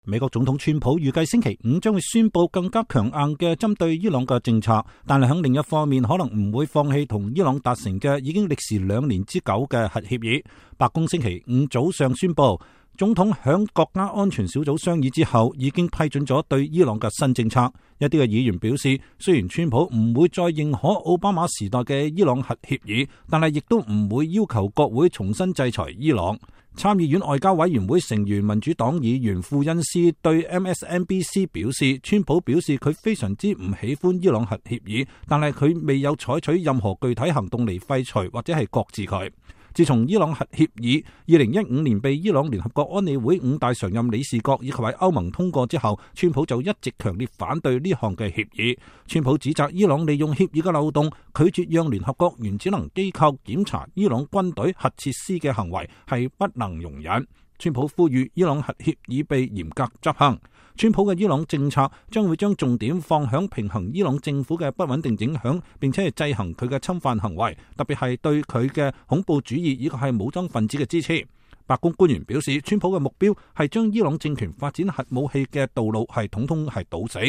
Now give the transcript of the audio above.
美國總統川普預計星期五將會宣布更加強硬嘅針對伊朗嘅政策，但係喺另一方面可能唔會放棄同伊朗達成嘅已經歷時2年之久嘅核協議。白宮星期五早上宣布，總統響國家安全小組商議之後，已經批准咗對伊朗嘅新政策。一啲嘅議員表示，雖然川普唔會再認可奧巴馬時代嘅伊朗核協議，但係亦都唔會要求國會重新制裁伊朗。參議院外交委員會成員民主黨議員庫恩斯對 MSNBC 表示，川普表示佢非常之唔喜歡伊朗核協議，但係佢未有採取任何具體行動嚟廢除或者係擱置佢。自從伊朗核協議2015年被伊朗聯合國安理會5大常任理事國以及喺歐盟通過之後，川普就一直強烈反對呢項嘅協議。川普指責伊朗利用協議嘅漏洞，拒絕讓聯合國原子能機構檢查伊朗軍隊核設施嘅行為係不能容忍。川普呼籲伊朗核協議被嚴格執行。川普嘅伊朗政策將會將重點放響平衡伊朗政府嘅不穩定影響，並且係制衡佢嘅侵犯行為，特別係對佢嘅恐怖主義以及係武裝分子嘅支持。白宮官員表示，川普嘅目標係將伊朗政權發展核武器嘅道路係統統係堵死。